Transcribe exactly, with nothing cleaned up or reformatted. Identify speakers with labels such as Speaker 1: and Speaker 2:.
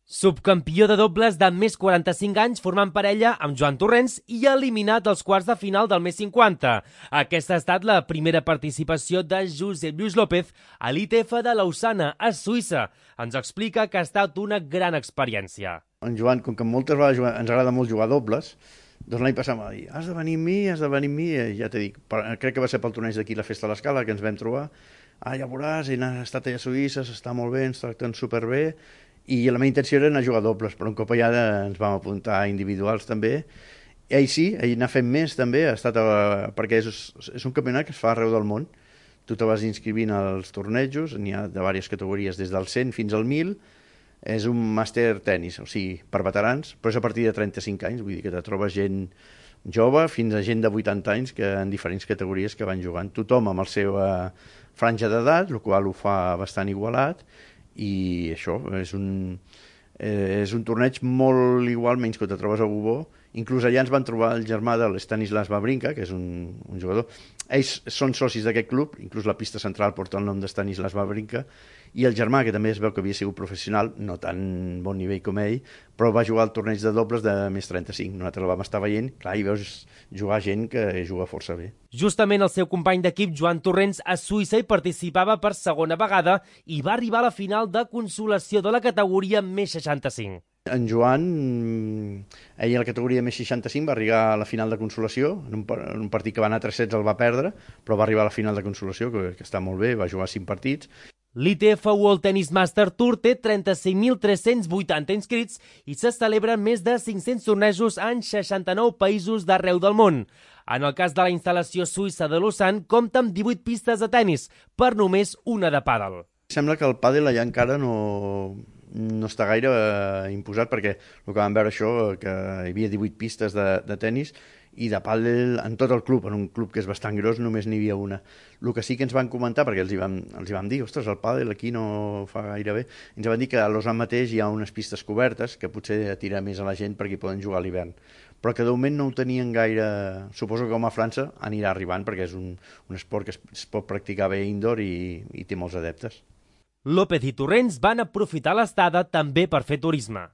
Speaker 1: Subcampió de dobles de més quaranta-cinc anys formant parella amb Joan Torrents i eliminat als quarts de final del més cinquanta. Aquesta ha estat la primera participació de Josep Lluís López a l'I T F de Lausana, a Suïssa. Ens explica que ha estat una gran experiència.
Speaker 2: En Joan, com que moltes vegades ens agrada molt jugar dobles, doncs l'any passat m'ha dit, has de venir amb mi, has de venir amb mi, i ja t'he dit, crec que va ser pel torneig d'aquí, la Festa a l'Escala, que ens vam trobar. Ah, ja veuràs, he estat allà a Suïssa, s'està molt bé, ens tracten superbé, i la meva intenció era anar a jugar dobles, però un cop allà ens vam apuntar a individuals també. I ell sí, ell n'ha fet més també, ha estat a, perquè és, és un campionat que es fa arreu del món. Tu te vas inscrivint als tornejos, n'hi ha de diverses categories, des del cent fins al mil, és un màster tennis, o sigui, per veterans, però és a partir de trenta-cinc anys, vull dir que te trobes gent jove fins a gent de vuitanta anys que en diferents categories que van jugant. Tothom amb la seva franja d'edat, el qual ho fa bastant igualat, i això, és un, eh, és un torneig molt igual, menys que te trobes a Bubó. Inclús allà ens van trobar el germà de l'Stanislas Wawrinka, que és un, un jugador. Ells són socis d'aquest club, inclús la pista central porta el nom de Stanislas Wawrinka, i el germà, que també es veu que havia sigut professional, no tan bon nivell com ell, però va jugar al torneig de dobles de més trenta-cinc. Nosaltres el vam estar veient, clar, i veus jugar gent que juga força bé.
Speaker 1: Justament el seu company d'equip, Joan Torrents, a Suïssa hi participava per segona vegada i va arribar a la final de consolació de la categoria més seixanta-cinc.
Speaker 2: En Joan, ell a la categoria més seixanta-cinc va arribar a la final de consolació, en un, en un partit que va anar a tres sets el va perdre, però va arribar a la final de consolació, que, que està molt bé, va jugar cinc partits.
Speaker 1: L'I T F World Tennis Master Tour té trenta-cinc mil tres-cents vuitanta inscrits i se celebren més de cinc-cents tornejos en seixanta-nou països d'arreu del món. En el cas de la instal·lació suïssa de Lausanne, compta amb divuit pistes de tennis, per només una de pàdel.
Speaker 2: Sembla que el pàdel allà encara no, no està gaire eh, imposat, perquè el que vam veure això, que hi havia divuit pistes de, de tennis, i de pàdel en tot el club, en un club que és bastant gros, només n'hi havia una. El que sí que ens van comentar, perquè els hi vam, els hi vam dir, ostres, el pàdel aquí no fa gaire bé, ens van dir que a Lausanne mateix hi ha unes pistes cobertes que potser atira més a la gent perquè hi poden jugar a l'hivern. Però que de moment no ho tenien gaire. Suposo que com a França anirà arribant, perquè és un, un esport que es, es pot practicar bé indoor i, i té molts adeptes.
Speaker 1: López i Torrents van aprofitar l'estada també per fer turisme.